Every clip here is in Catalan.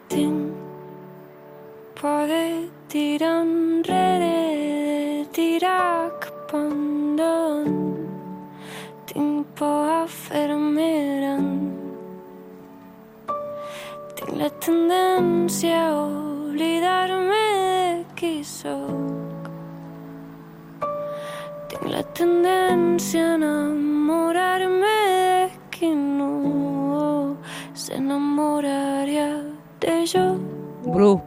tinc por de tirar enrere, de tirar cap endavant. Tinc por a fer-me gran. Tinc la tendència a oblidar-me de qui sóc. Tinc la tendència a enamorar-me de qui no s'enamoraria de jo. Bru,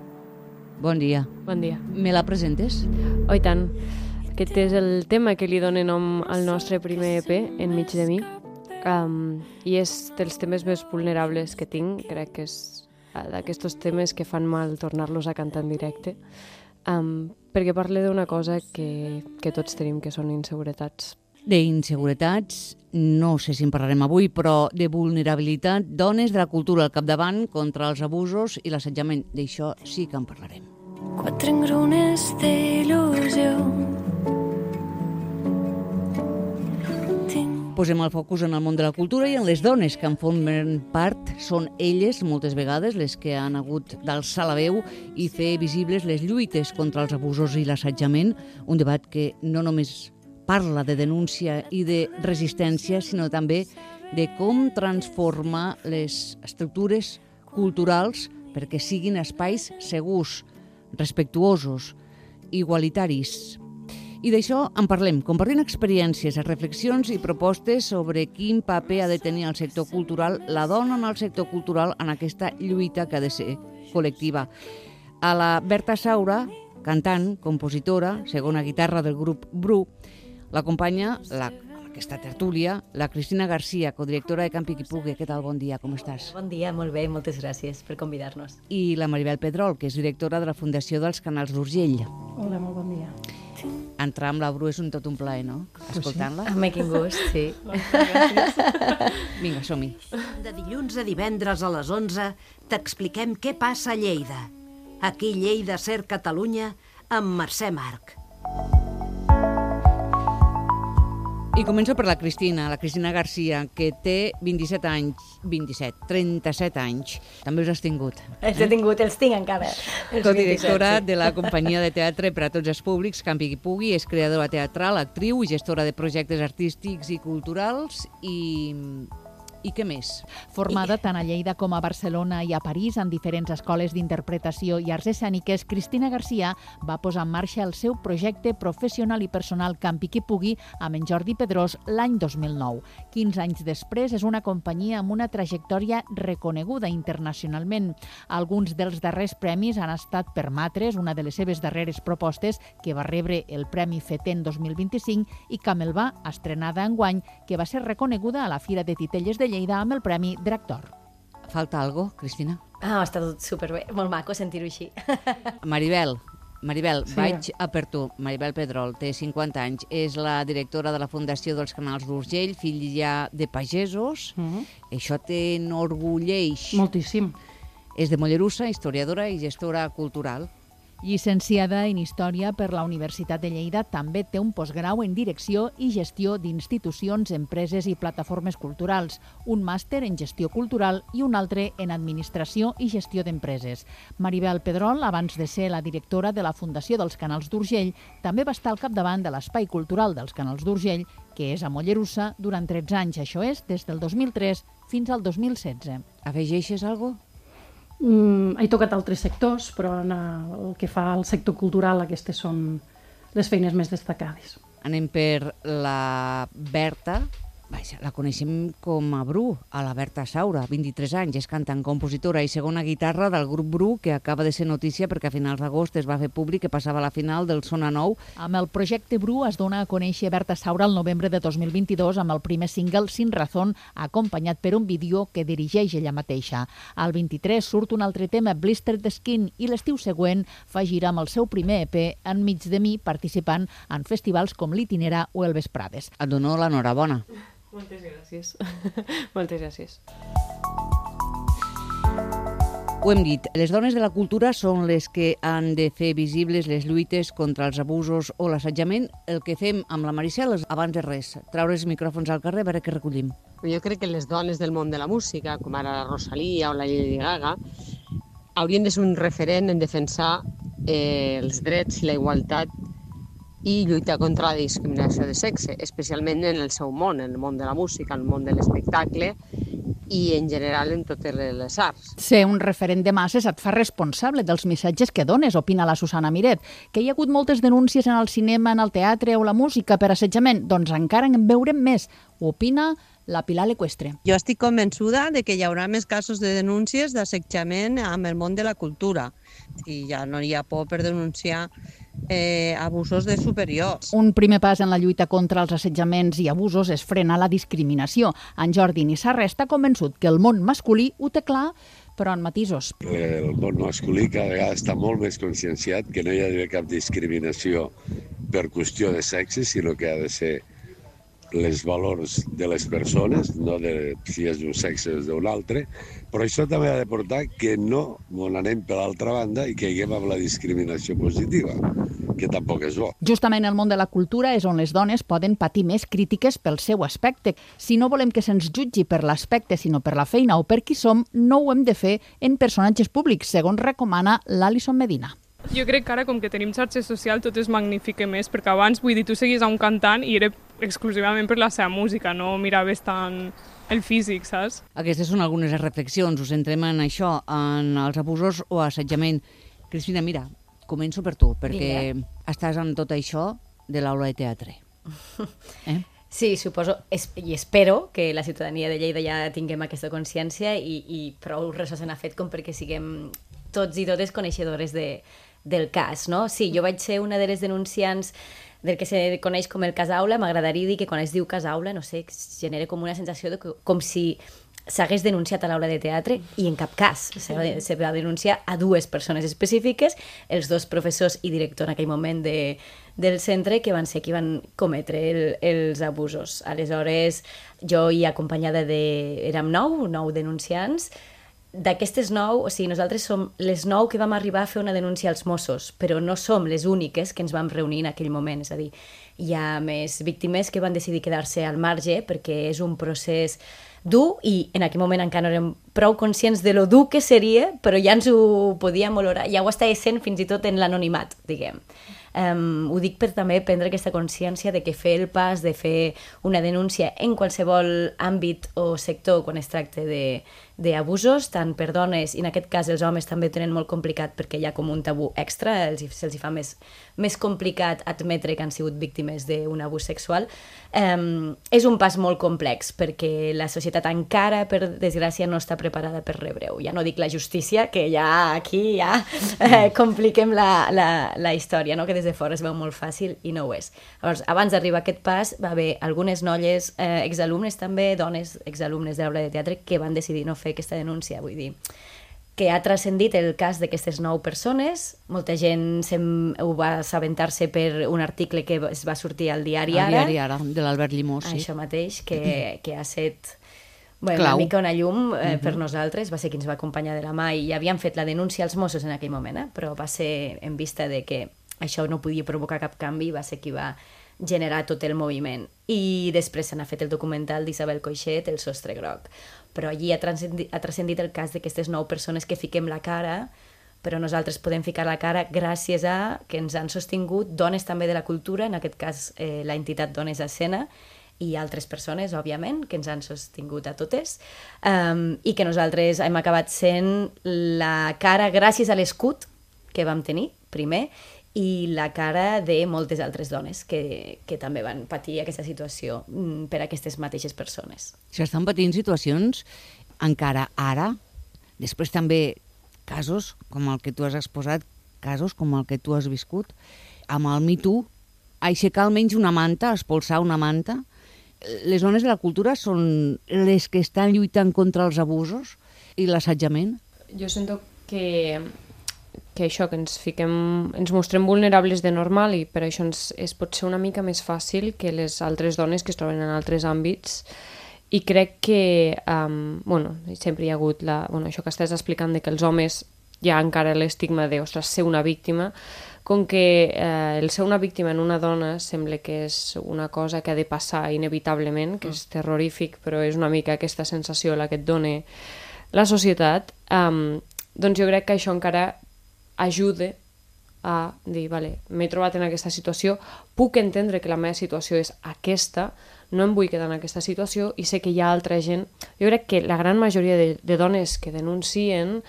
bon dia. Bon dia. Me la presentes? Oh, i tant. Aquest és el tema que li dona nom al nostre primer EP, Enmig de mi. I és dels temes més vulnerables que tinc. Crec que és d'aquests temes que fan mal tornar-los a cantar en directe. Perquè parla d'una cosa que tots tenim, que són inseguretats. D'inseguretats, no sé si en parlarem avui, però de vulnerabilitat, dones de la cultura al capdavant contra els abusos i l'assetjament. D'això sí que en parlarem. 4 engrunes d'il·lusió. Posem el focus en el món de la cultura i en les dones que en formen part. Són elles, moltes vegades, les que han hagut d'alçar la veu i fer visibles les lluites contra els abusos i l'assetjament, un debat que no només parla de denúncia i de resistència, sinó també de com transformar les estructures culturals perquè siguin espais segurs, respectuosos, igualitaris. I d'això en parlem, compartint experiències, reflexions i propostes sobre quin paper ha de tenir el sector cultural, la dona en el sector cultural, en aquesta lluita que ha de ser col·lectiva. A la Berta Saura, cantant, compositora, segona guitarra del grup Bru, l'acompanya aquesta tertúlia, la Cristina Garcia, codirectora de Campi qui pugui. Què tal? Bon dia, com estàs? Bon dia, molt bé, moltes gràcies per convidar-nos. I la Maribel Pedrol, que és directora de la Fundació dels Canals d'Urgell. Hola, molt bon dia. Entrar amb la Bru és tot un plaer, no? Escoltant-la. Home, quin gust, sí. Vinga, som-hi. De dilluns a divendres a les 11 t'expliquem què passa a Lleida. Aquí Lleida Ser Catalunya amb Mercè Marc. I començo per la Cristina Garcia, que té 37 anys. També els has tingut. Els he tingut, els tinc encara. Codirectora de la companyia de teatre per a tots els públics, Campi qui pugui, és creadora teatral, actriu i gestora de projectes artístics i culturals I què més? Formada tant a Lleida com a Barcelona i a París en diferents escoles d'interpretació i arts escèniques, Cristina Garcia va posar en marxa el seu projecte professional i personal Campi qui pugui amb en Jordi Pedrós l'any 2009. 15 anys després és una companyia amb una trajectòria reconeguda internacionalment. Alguns dels darrers premis han estat per Matres, una de les seves darreres propostes, que va rebre el Premi FETEN 2025, i Camelbà, estrenada enguany, que va ser reconeguda a la Fira de Titelles de Lleida amb el Premi Director. Falta algo, Cristina? Està tot superbé, molt maco sentir-ho així. Maribel, Sí. vaig a per tu. Maribel Pedrol té 50 anys, és la directora de la Fundació dels Canals d'Urgell, filla de pagesos. Això t'enorgulleix. Moltíssim. És de Mollerussa, historiadora i gestora cultural. Llicenciada en Història per la Universitat de Lleida, també té un postgrau en Direcció i Gestió d'Institucions, Empreses i Plataformes Culturals, un màster en Gestió Cultural i un altre en Administració i Gestió d'Empreses. Maribel Pedrol, abans de ser la directora de la Fundació dels Canals d'Urgell, també va estar al capdavant de l'Espai Cultural dels Canals d'Urgell, que és a Mollerussa, durant 13 anys. Això és des del 2003 fins al 2016. Afegeixes alguna cosa? He tocat altres sectors, però en el que fa al sector cultural aquestes són les feines més destacades. Anem per la Berta. Vaja, la coneixem com a Bru, a la Berta Saura, 23 anys, és cantant, compositora i segona guitarra del grup Bru, que acaba de ser notícia perquè a finals d'agost es va fer públic que passava a la final del Sona Nou. Amb el projecte Bru es dona a conèixer Berta Saura el novembre de 2022 amb el primer single Sin Razón, acompanyat per un vídeo que dirigeix ella mateixa. Al 23 surt un altre tema, Blistered Skin, i l'estiu següent fa girar amb el seu primer EP Enmig de mi, participant en festivals com l'Itinera o el Vesprades. Et dono l'enhorabona. Moltes gràcies. Moltes gràcies. Ho hem dit, les dones de la cultura són les que han de fer visibles les lluites contra els abusos o l'assetjament. El que fem amb la Maricel és, abans de res, treure els micròfons al carrer a veure què recollim. Jo crec que les dones del món de la música, com ara la Rosalía o la Lady Gaga, haurien de ser un referent en defensar els drets i la igualtat i lluitar contra la discriminació de sexe, especialment en el seu món, en el món de la música, en el món de l'espectacle i en general en totes les arts. Ser un referent de masses et fa responsable dels missatges que dones, opina la Susana Miret. Que hi ha hagut moltes denúncies en el cinema, en el teatre o la música per assetjament? Doncs encara en veurem més, opina la Pilar Lecuestre. Jo estic convençuda de que hi haurà més casos de denúncies d'assetjament amb el món de la cultura i ja no hi ha por per denunciar abusos de superiors. Un primer pas en la lluita contra els assetjaments i abusos és frenar la discriminació. En Jordi Nissarra està convençut que el món masculí ho té clar, però en matisos. El món masculí cada vegada està molt més conscienciat que no hi ha d'haver cap discriminació per qüestió de sexe, sinó que ha de ser els valors de les persones, no de si és d'un sexe o és d'un altre, però això també ha de portar que no anem per l'altra banda i que haguem amb la discriminació positiva, que tampoc és bo. Justament el món de la cultura és on les dones poden patir més crítiques pel seu aspecte. Si no volem que se'ns jutgi per l'aspecte, sinó per la feina o per qui som, no ho hem de fer en personatges públics, segons recomana l'Alison Medina. Jo crec que ara, com que tenim xarxes socials, tot es magnifica més, perquè abans, vull dir, tu seguis a un cantant i era exclusivament per la seva música, no miraves tant el físic, saps? Aquestes són algunes reflexions. Us centrem en això, en els abusos o assetjament. Cristina, mira, començo per tu, perquè estàs en tot això de l'aula de teatre. Sí, suposo, i espero que la ciutadania de Lleida ja tinguem aquesta consciència i prou ressò se n'ha fet com perquè siguem tots i totes coneixedores del cas, no? Sí, jo vaig ser una de les denunciants del que se coneix com el cas Aula. M'agradaria dir que quan es diu cas Aula, no sé, genera com una sensació de com si s'hagués denunciat a l'aula de teatre i en cap cas se va denunciar a dues persones específiques, els dos professors i director en aquell moment del centre, que van ser qui van cometre els abusos. Aleshores, jo hi acompanyada érem 9 denunciants. D'aquestes 9, o sigui, nosaltres som les 9 que vam arribar a fer una denúncia als Mossos, però no som les úniques que ens vam reunir en aquell moment. És a dir, hi ha més víctimes que van decidir quedar-se al marge perquè és un procés dur i en aquell moment encara no érem prou conscients de lo dur que seria, però ja ens ho podíem valorar, ja ho estava sent fins i tot en l'anonimat, diguem. Ho dic per també prendre aquesta consciència de que fer el pas de fer una denúncia en qualsevol àmbit o sector quan es tracta d'abusos, tant per dones, i en aquest cas els homes també ho tenen molt complicat perquè hi ha com un tabú extra, se'ls fa més complicat admetre que han sigut víctimes d'un abús sexual. És un pas molt complex perquè la societat encara, per desgràcia, no està preparada per rebre-ho. Ja no dic la justícia, que ja aquí compliquem la història, no? Que des de fora es veu molt fàcil i no ho és. Llavors, abans d'arribar a aquest pas va haver algunes noies, exalumnes també, dones exalumnes de l'aula de teatre, que van decidir no fer aquesta denúncia. Vull dir que ha transcendit el cas d'aquestes 9 persones. Molta gent ho va assabentar-se per un article que es va sortir al diari Ara. Al diari Ara, de l'Albert Limós, sí. Això mateix, que ha set una mica una llum per nosaltres, va ser qui ens va acompanyar de la mà i ja havíem fet la denúncia als Mossos en aquell moment, però va ser en vista de que això no podia provocar cap canvi, va ser qui va generar tot el moviment. I després se n'ha fet el documental d'Isabel Coixet, El sostre groc. Però allí ha transcendit el cas d'aquestes 9 persones que fiquem la cara, però nosaltres podem ficar la cara gràcies a que ens han sostingut dones també de la cultura, en aquest cas la entitat Dones a Escena, i altres persones, òbviament, que ens han sostingut a totes, i que nosaltres hem acabat sent la cara gràcies a l'escut que vam tenir, primer, i la cara de moltes altres dones que també van patir aquesta situació per aquestes mateixes persones. S'estan patint situacions encara ara, després també casos com el que tu has exposat, casos com el que tu has viscut, amb el Me Too, aixecar almenys una manta, espolsar una manta. Les dones de la cultura són les que estan lluitant contra els abusos i l'assetjament? Jo sento que això, que ens mostrem vulnerables de normal i per això és potser una mica més fàcil que les altres dones que es troben en altres àmbits. I crec que sempre hi ha hagut això que estàs explicant, de que els homes hi ha encara l'estigma de, ostres, ser una víctima, com que el ser una víctima en una dona sembla que és una cosa que ha de passar inevitablement, que és terrorífic, però és una mica aquesta sensació la que et dona la societat. doncs jo crec que això encara ajuda a dir, vale, m'he trobat en aquesta situació, puc entendre que la meva situació és aquesta, no em vull quedar en aquesta situació i sé que hi ha altra gent. Jo crec que la gran majoria de dones que denuncien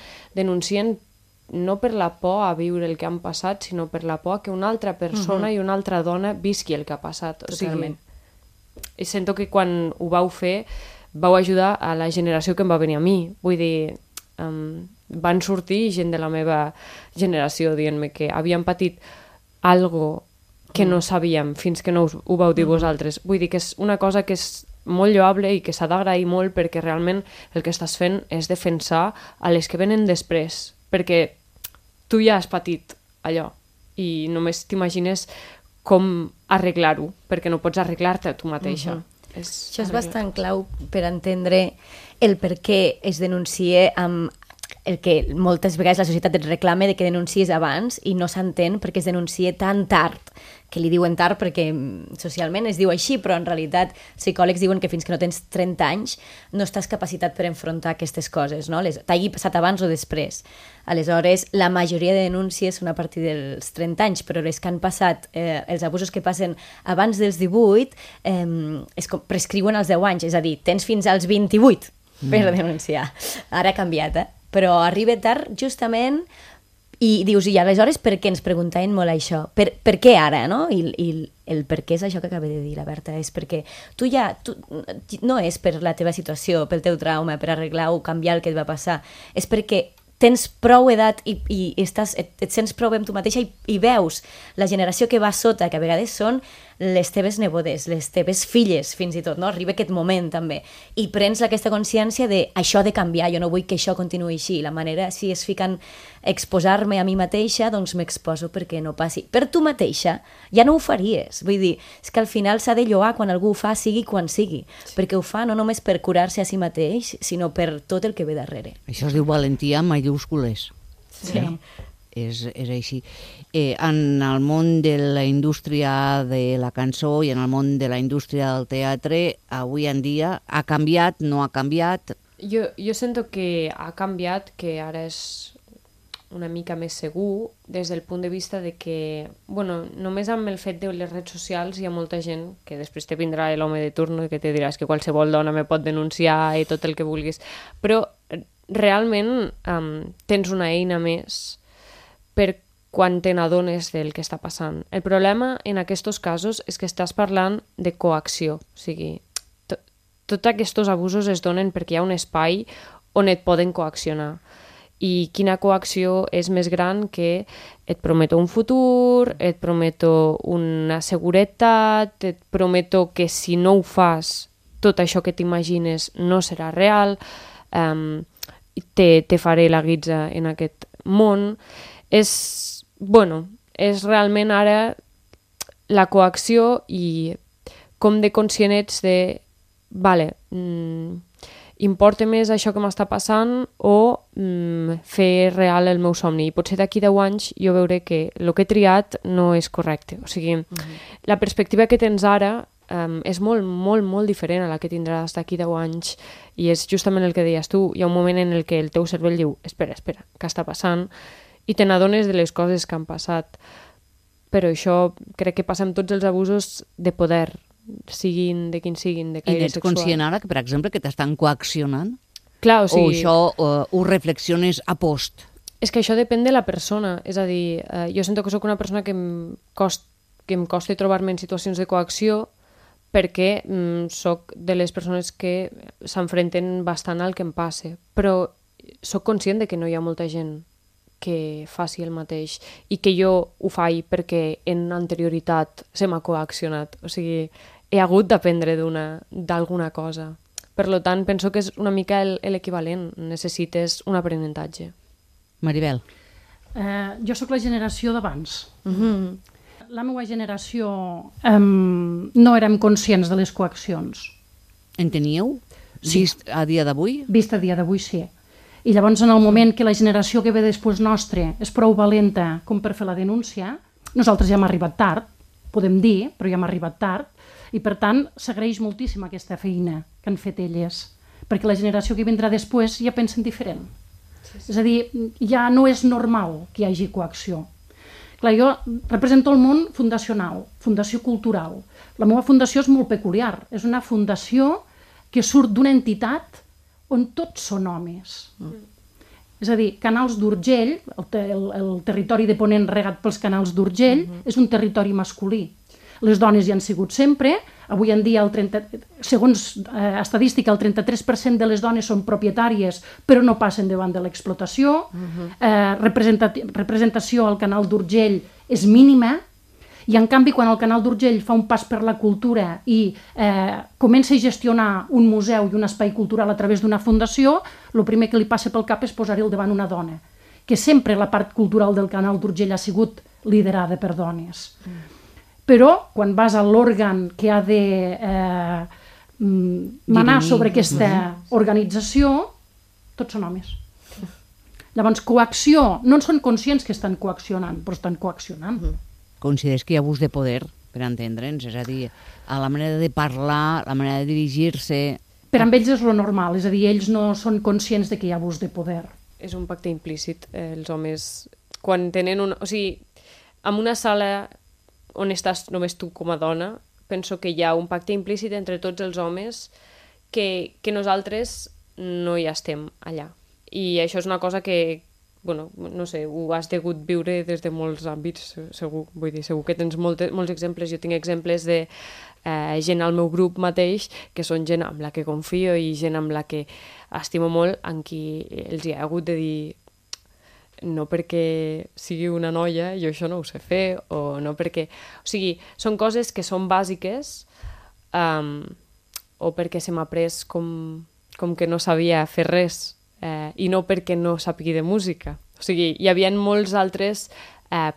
no per la por a viure el que han passat, sinó per la por a que una altra persona i una altra dona visqui el que ha passat. Totalment. I sento que quan ho vau fer vau ajudar a la generació que em va venir a mi. Vull dir, van sortir gent de la meva generació dient-me que havien patit algo que no sabíem fins que no ho vau dir vosaltres. Vull dir que és una cosa que és molt lloable i que s'ha d'agrair molt perquè realment el que estàs fent és defensar a les que venen després, perquè tu ja has patit allò i només t'imagines com arreglar-ho, perquè no pots arreglar-te tu mateixa. Això és bastant clau per entendre el per què es denuncia amb el que moltes vegades la societat et reclama de que denuncies abans i no s'entén perquè es denuncia tan tard, que li diuen tard perquè socialment es diu així, però en realitat psicòlegs diuen que fins que no tens 30 anys no estàs capacitat per enfrontar aquestes coses, no? T'hagi passat abans o després. Aleshores, la majoria de denúncies són a partir dels 30 anys, però les que han passat, els abusos que passen abans dels 18 prescriuen als 10 anys, és a dir, tens fins als 28 per denunciar. Ara ha canviat, però arriba tard justament i dius, i aleshores per què ens preguntaven molt això? Per què ara, no? I el per què és això que acaba de dir la Berta, és perquè tu no és per la teva situació, pel teu trauma, per arreglar o canviar el que et va passar, és perquè tens prou edat i et sents prou bé amb tu mateixa i veus la generació que va sota, que a vegades són les teves nebodes, les teves filles, fins i tot, no? Arriba aquest moment també. I prens aquesta consciència de això ha de canviar, jo no vull que això continuï així. La manera, si es fiquen exposar-me a mi mateixa, doncs m'exposo perquè no passi. Per tu mateixa ja no ho faries. Vull dir, és que al final s'ha de lloar quan algú ho fa, sigui quan sigui. Perquè ho fa no només per curar-se a si mateix, sinó per tot el que ve darrere. Això es diu valentia amb majúscules. Sí. És així. En el món de la indústria de la cançó i en el món de la indústria del teatre, avui en dia ha canviat, no ha canviat? Jo sento que ha canviat, que ara és una mica més segur, des del punt de vista de que, bueno, només amb el fet de les redes socials hi ha molta gent que després te vindrà l'home de turno i que te diràs que qualsevol dona me pot denunciar i tot el que vulguis, però realment tens una eina més per quan te n'adones del que està passant. El problema en aquests casos és que estàs parlant de coacció, o sigui, tots aquests abusos es donen perquè hi ha un espai on et poden coaccionar. I quina coacció és més gran que et prometo un futur, et prometo una seguretat, et prometo que si no ho fas, tot això que t'imagines no serà real, te faré la guitza en aquest món. És realment ara la coacció i com de conscient ets de, importa més això que m'està passant o fer real el meu somni. I potser d'aquí 10 anys jo veuré que el que he triat no és correcte. O sigui, la perspectiva que tens ara és molt, molt, molt diferent a la que tindràs d'aquí 10 anys i és justament el que deies tu. Hi ha un moment en el que el teu cervell diu espera, què està passant? I te n'adones de les coses que han passat. Però això crec que passa amb tots els abusos de poder, siguin de quin siguin, de caire sexual. I n'ets conscient ara, que, per exemple, que t'estan coaccionant? Clar, o sigui... O això ho reflexiones a post? És que això depèn de la persona. És a dir, jo sento que sóc una persona que em costa trobar-me en situacions de coacció perquè sóc de les persones que s'enfrenten bastant al que em passe. Però sóc conscient de que no hi ha molta gent que faci el mateix i que jo ho faig perquè en anterioritat se m'ha coaccionat. O sigui, he hagut d'aprendre d'alguna cosa. Per tant, penso que és una mica l'equivalent. Necessites un aprenentatge. Maribel. Jo sóc la generació d'abans. La meva generació no érem conscients de les coaccions. En teníeu? Sí. Vist a dia d'avui? Vist a dia d'avui, sí. I llavors, en el moment que la generació que ve després nostre és prou valenta com per fer la denúncia, nosaltres ja hem arribat tard, podem dir, però ja hem arribat tard, i per tant s'agraeix moltíssim aquesta feina que han fet elles, perquè la generació que vindrà després ja pensen diferent. És a dir, ja no és normal que hi hagi coacció. Clar, jo represento el món fundacional, fundació cultural. La meva fundació és molt peculiar. És una fundació que surt d'una entitat on tots són homes. És a dir, Canals d'Urgell, el territori de Ponent regat pels Canals d'Urgell, és un territori masculí. Les dones hi han sigut sempre. Avui en dia, segons estadística, el 33% de les dones són propietàries, però no passen davant de l'explotació. Representació al Canal d'Urgell és mínima, i en canvi, quan el Canal d'Urgell fa un pas per la cultura i comença a gestionar un museu i un espai cultural a través d'una fundació, el primer que li passa pel cap és posar-hi al davant una dona, que sempre la part cultural del Canal d'Urgell ha sigut liderada per dones. Però quan vas a l'òrgan que ha de manar sobre aquesta organització, tots són homes. Llavors, coacció, no en són conscients que estan coaccionant, però estan coaccionant. Consideres que hi ha abús de poder, per entendre'ns? És a dir, a la manera de parlar, la manera de dirigir-se... Per amb ells és lo normal, és a dir, ells no són conscients de que hi ha abús de poder. És un pacte implícit. Els homes, quan tenen un... O sigui, en una sala on estàs només tu com a dona, penso que hi ha un pacte implícit entre tots els homes que nosaltres no hi estem allà. I això és una cosa que, bueno, no sé, ho has degut viure des de molts àmbits, segur. Vull dir, segur que tens molts exemples. Jo tinc exemples de gent al meu grup mateix, que són gent amb la que confio i gent amb la que estimo molt, en qui els hi ha hagut de dir no perquè sigui una noia, jo això no ho sé fer, o no perquè... O sigui, són coses que són bàsiques o perquè se m'ha pres com que no sabia fer res i no perquè no sàpigui de música. O sigui, hi havia molts altres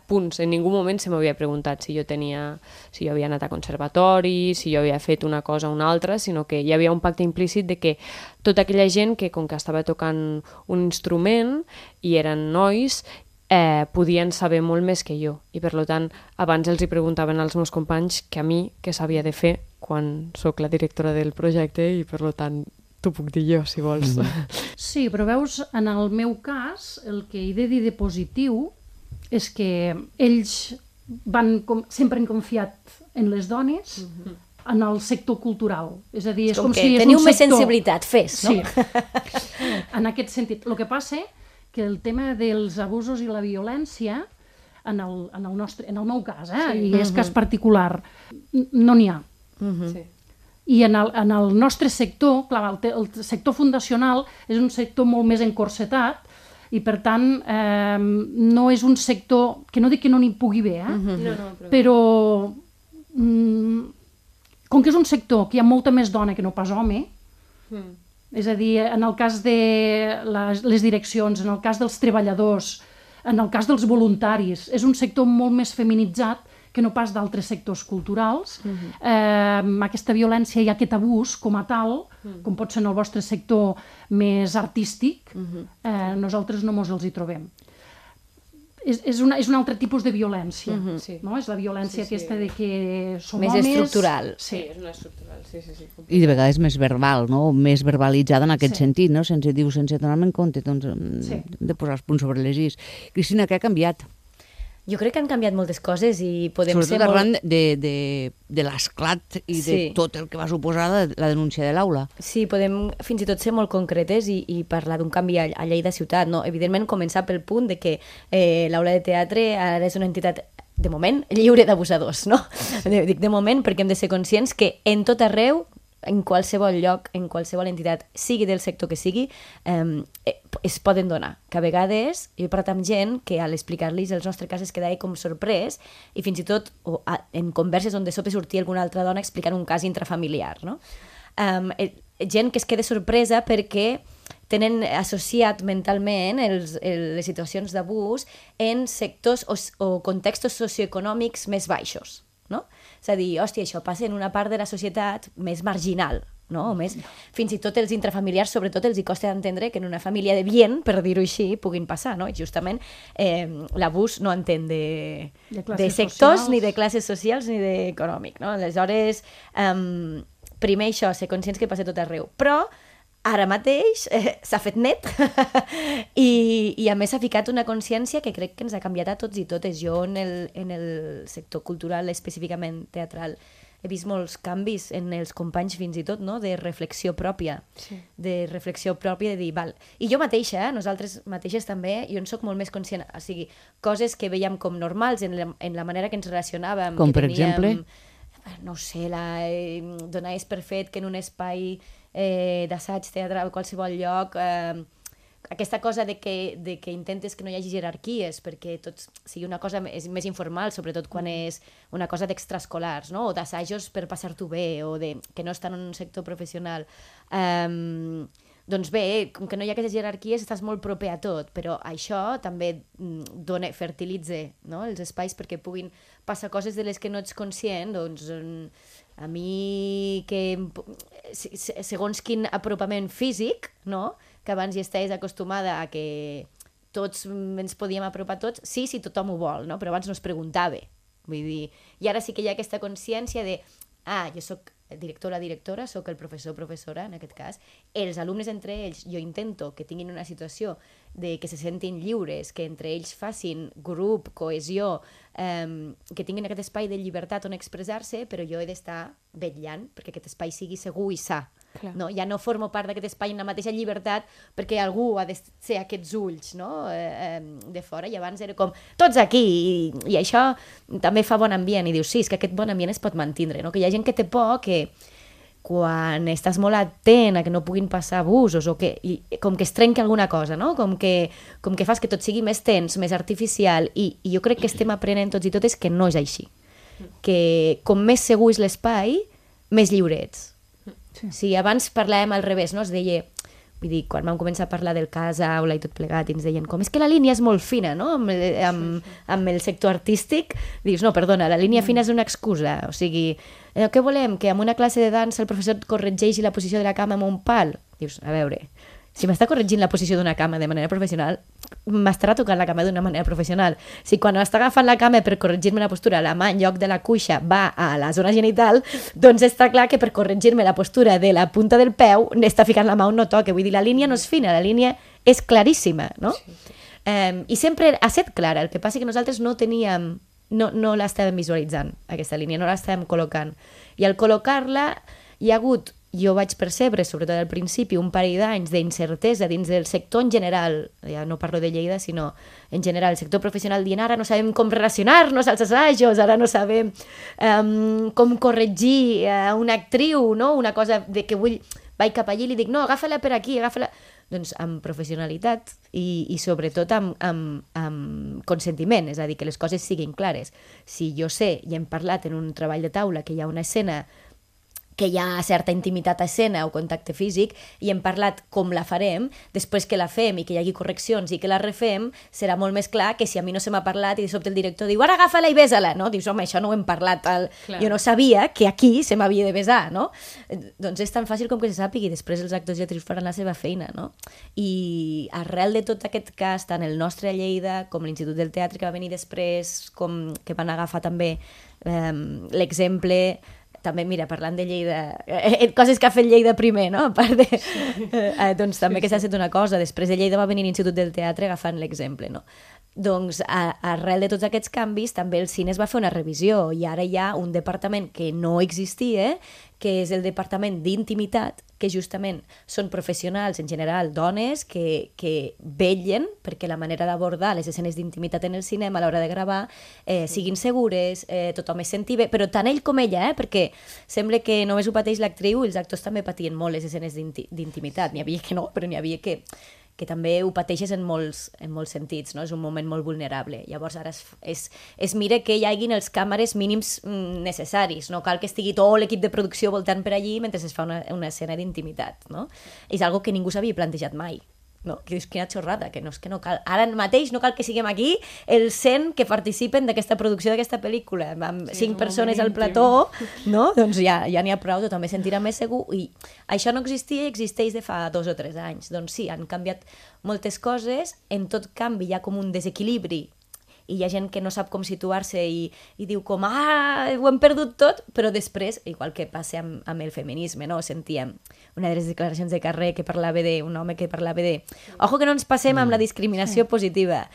punts. En ningú moment se m'havia preguntat si jo havia anat a conservatori, si jo havia fet una cosa o una altra, sinó que hi havia un pacte implícit de que tota aquella gent que, com que estava tocant un instrument i eren nois, podien saber molt més que jo. I, per tant, abans els hi preguntaven als meus companys que a mi què s'havia de fer quan sóc la directora del projecte i, per tant, t'ho puc dir jo, si vols. Sí, però veus, en el meu cas, el que he de dir de positiu és que ells sempre han confiat en les dones en el sector cultural. És a dir, és com si teniu més sensibilitat, fes, no? Sí, en aquest sentit. El que passa que el tema dels abusos i la violència, en el meu cas, i és cas particular, no n'hi ha. I en el nostre sector, clar, el sector fundacional és un sector molt més encorsetat, i per tant no és un sector, que no dic que no n'hi pugui haver, però com que és un sector que hi ha molta més dona que no pas home, és a dir, en el cas de les direccions, en el cas dels treballadors, en el cas dels voluntaris, és un sector molt més feminitzat que no pas d'altres sectors culturals. Aquesta violència i aquest abús com a tal, com pot ser en el vostre sector més artístic, nosaltres no mos els hi trobem. És un altre tipus de violència, no? És la violència aquesta de que som homes... Més estructural. Sí, és una estructural, sí. I de vegades més verbal, no? Més verbalitzada en aquest sentit, no? Sense donar-me en compte, doncs de posar els punts sobre les is. Cristina, què ha canviat? Jo crec que han canviat moltes coses i podem ser molt... Sobretot arran de l'esclat i de tot el que va suposar la denúncia de l'aula. Sí, podem fins i tot ser molt concretes i parlar d'un canvi a Lleida ciutat. No? Evidentment, començar pel punt de que l'aula de teatre ara és una entitat, de moment, lliure d'abusadors, no? Dic de moment perquè hem de ser conscients que en tot arreu, en qualsevol lloc, en qualsevol entitat, sigui del sector que sigui, es poden donar. Que a vegades, jo he parlat amb gent que al explicar-los el nostre cas es quedava com sorprès i fins i tot en converses on de sobte sortia alguna altra dona explicant un cas intrafamiliar. No? Gent que es queda sorpresa perquè tenen associat mentalment les situacions d'abús en sectors o contextos socioeconòmics més baixos. No? És a dir, hòstia, això passa en una part de la societat més marginal, no? O més, fins i tot els intrafamiliars, sobretot els hi costa d'entendre que en una família de bien, per dir-ho així, puguin passar, no? I justament l'abús no entén de sectors, socials, ni de classes socials, ni d'econòmic, no? Aleshores, primer això, ser conscients que passa tot arreu. Però ara mateix s'ha fet net i a més s'ha ficat una consciència que crec que ens ha canviat a tots i totes. Jo en el sector cultural, específicament teatral, he vist molts canvis en els companys fins i tot, no? De reflexió pròpia, de dir, val. I jo mateixa, nosaltres mateixes també, jo en soc molt més conscient, o sigui, coses que veiem com normals en la manera que ens relacionàvem. Com per exemple? No ho sé, donaves per fet que en un espai d'assaig teatral, a qualsevol lloc, aquesta cosa de que intentes que no hi hagi jerarquies perquè tot sigui una cosa més informal, sobretot quan és una cosa d'extraescolars, no? O d'assajos per passar-t'ho bé, o que no estan en un sector professional. Doncs bé, com que no hi ha aquestes jerarquies, estàs molt proper a tot, però això també fertilitza, no? Els espais perquè puguin passar coses de les que no ets conscient. Doncs a mi, que segons quin apropament físic, no? Que abans hi estàs acostumada a que tots ens podíem apropar tots, sí, si tothom ho vol, no? Però abans no es preguntava. Vull dir, i ara sí que hi ha aquesta consciència de jo soc directora, soc el professora, en aquest cas. Els alumnes entre ells, jo intento que tinguin una situació de que se sentin lliures, que entre ells facin grup, cohesió, que tinguin aquest espai de llibertat on expressar-se, però jo he d'estar vetllant perquè aquest espai sigui segur i sa. No? Ja no formo part d'aquest espai en la mateixa llibertat perquè algú ha de ser aquests ulls, no? De fora, i abans era com tots aquí, i això també fa bon ambient, i dius, sí, és que aquest bon ambient es pot mantindre, no? Que hi ha gent que té por que quan estàs molt atent a que no puguin passar abusos o com que es trenqui alguna cosa, no? Com que fas que tot sigui més tens, més artificial, i jo crec que estem aprenent tots i totes que no és així, que com més segur és l'espai, més lliure ets. Sí, abans parlàvem al revés, no? Es deia, vull dir, quan vam començar a parlar del casa, aula i tot plegat, i ens deien com, és que la línia és molt fina, no? Amb el sector artístic, dius, no, perdona, la línia fina és una excusa, o sigui, què volem? Que en una classe de dansa el professor corregeixi la posició de la cama amb un pal? Dius, a veure, si m'està corregint la posició d'una cama de manera professional, m'estarà tocant la cama d'una manera professional. Si quan està agafant la cama per corregir-me la postura, la mà en lloc de la cuixa va a la zona genital, doncs està clar que per corregir-me la postura de la punta del peu està ficant la mà on no toca. Vull dir, la línia no és fina, la línia és claríssima, no? I sempre ha estat clara, el que passa que nosaltres no teníem, no l'estàvem visualitzant, aquesta línia, no l'estàvem col·locant. I al col·locar-la hi ha hagut, jo vaig percebre, sobretot al principi, un parell d'anys d'incertesa dins del sector en general, ja no parlo de Lleida, sinó en general, el sector professional dient ara no sabem com relacionar-nos als assajos, ara no sabem com corregir una actriu, no? Una cosa de que vaig cap allí i li dic, no, agafa-la per aquí, agafa-la... Doncs amb professionalitat i sobretot amb consentiment, és a dir, que les coses siguin clares. Si jo sé i hem parlat en un treball de taula que hi ha una escena que hi ha certa intimitat a escena o contacte físic, i hem parlat com la farem, després que la fem i que hi hagi correccions i que la refem, serà molt més clar que si a mi no se m'ha parlat i de sobte el director diu, ara agafa-la i besa-la, no? Dius, home, això no ho hem parlat, jo no sabia que aquí se m'havia de besar, no? Doncs és tan fàcil com que se sàpigui, després els actors i actrius faran la seva feina, no? I arrel de tot aquest cas, tant el nostre a Lleida com l'Institut del Teatre que va venir després, com que van agafar també l'exemple. També, mira, parlant de Lleida, coses que ha fet Lleida primer, no? A part de... doncs també que s'ha fet una cosa, després de Lleida va venir l'Institut del Teatre agafant l'exemple, no? Doncs arrel de tots aquests canvis també el cine es va fer una revisió i ara hi ha un departament que no existia, que és el departament d'intimitat, que justament són professionals en general, dones, que vetllen perquè la manera d'abordar les escenes d'intimitat en el cinema a l'hora de gravar siguin segures, tothom es senti bé, però tant ell com ella, perquè sembla que només ho pateix l'actriu i els actors també patien molt les escenes d'intimitat. N'hi havia que no, però n'hi havia que també ho pateixes en molts sentits, no? És un moment molt vulnerable. Llavors ara es mira que hi haguin els càmeres mínims necessaris, no cal que estigui tot l'equip de producció voltant per allí mentre es fa una escena d'intimitat, no? És algo que ningú s'havia plantejat mai. No? Que dius, quina xorrada, que no cal. Ara mateix no cal que siguem aquí els 100 que participen d'aquesta producció d'aquesta pel·lícula, amb 5 persones al plató, no? Doncs ja n'hi ha prou, tothom es sentirà més segur, i això no existia i existeix de fa 2 o 3 anys. Doncs sí, han canviat moltes coses, en tot canvi hi ha com un desequilibri i hi ha gent que no sap com situar-se i diu com, ho hem perdut tot, però després, igual que passa amb el feminisme, no? Sentíem una de les declaracions de carrer que parlava d'un home que parlava de ojo que no ens passem amb la discriminació positiva.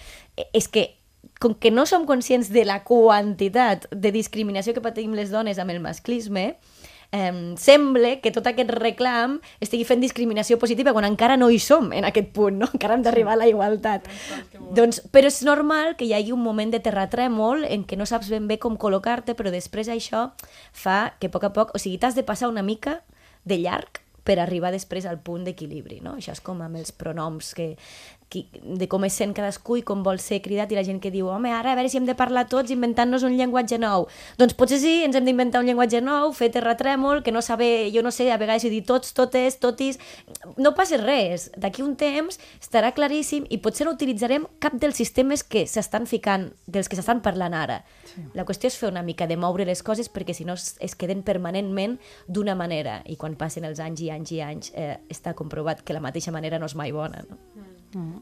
És que com que no som conscients de la quantitat de discriminació que patim les dones amb el masclisme, sembla que tot aquest reclam estigui fent discriminació positiva quan encara no hi som en aquest punt, no? Encara hem d'arribar a la igualtat. Doncs, però és normal que hi hagi un moment de terratrèmol en què no saps ben bé com col·locar-te, però després això fa que a poc, o sigui, t'has de passar una mica de llarg per arribar després al punt d'equilibri, no? Això és com amb els pronoms de com es sent cadascú i com vol ser cridat, i la gent que diu, home, ara a veure si hem de parlar tots inventant-nos un llenguatge nou. Doncs potser sí, ens hem d'inventar un llenguatge nou, fer terratrèmol, que no saber, jo no sé, a vegades dir tots, totes, totis, no passa res. D'aquí un temps estarà claríssim i potser no utilitzarem cap dels sistemes que s'estan ficant, dels que s'estan parlant ara. Sí. La qüestió és fer una mica de moure les coses perquè si no es queden permanentment d'una manera, i quan passen els anys i anys i anys està comprovat que la mateixa manera no és mai bona, no?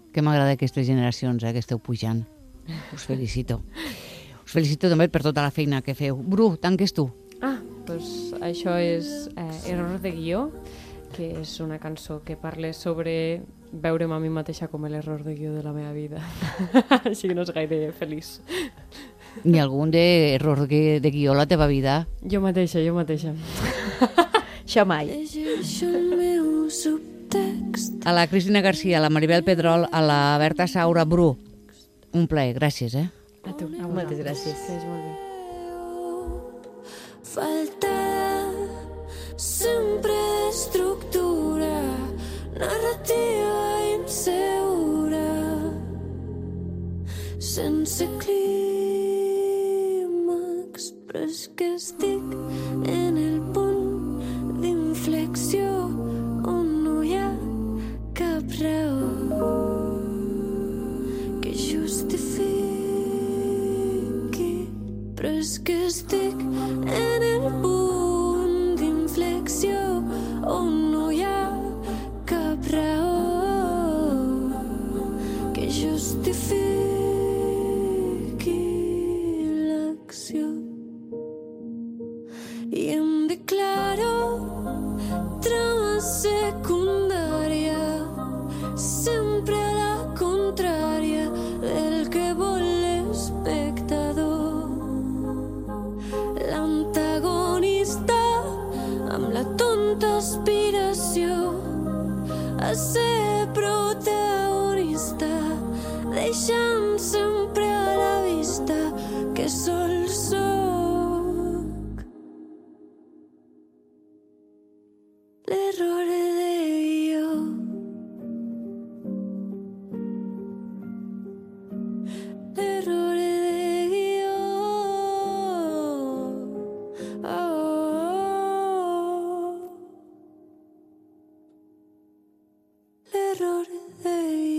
Que m'agrada aquestes generacions que esteu pujant. Us felicito. Us felicito també per tota la feina que feu. Bru, tanques tu. Doncs això és Error de guió, que és una cançó que parla sobre veure'm a mi mateixa com l'error de guió de la meva vida. Així que no és gaire feliç. Ni algun d'error de guió a la teva vida? Jo mateixa. Això mai. A la Cristina Garcia, a la Maribel Pedrol, a la Berta Saura, Bru, un plaer, gràcies, A tu. Moltes gràcies. Que és molt bé. Falta sempre estructura narrativa insegura sense clímax, però és que estic en el punt d'inflexió on no hi ha cap raó que justifiqui, però és que estic en el punt d'inflexió on no hi ha cap raó que justifiqui l'acció. I em declaro trama secundària, sempre a la contrària del que vol l'espectador. L'antagonista amb la tonta aspiració a ser protagonista, deixant sempre a la vista que sol soc l'error de guió. L'error de guió. L'error de guió.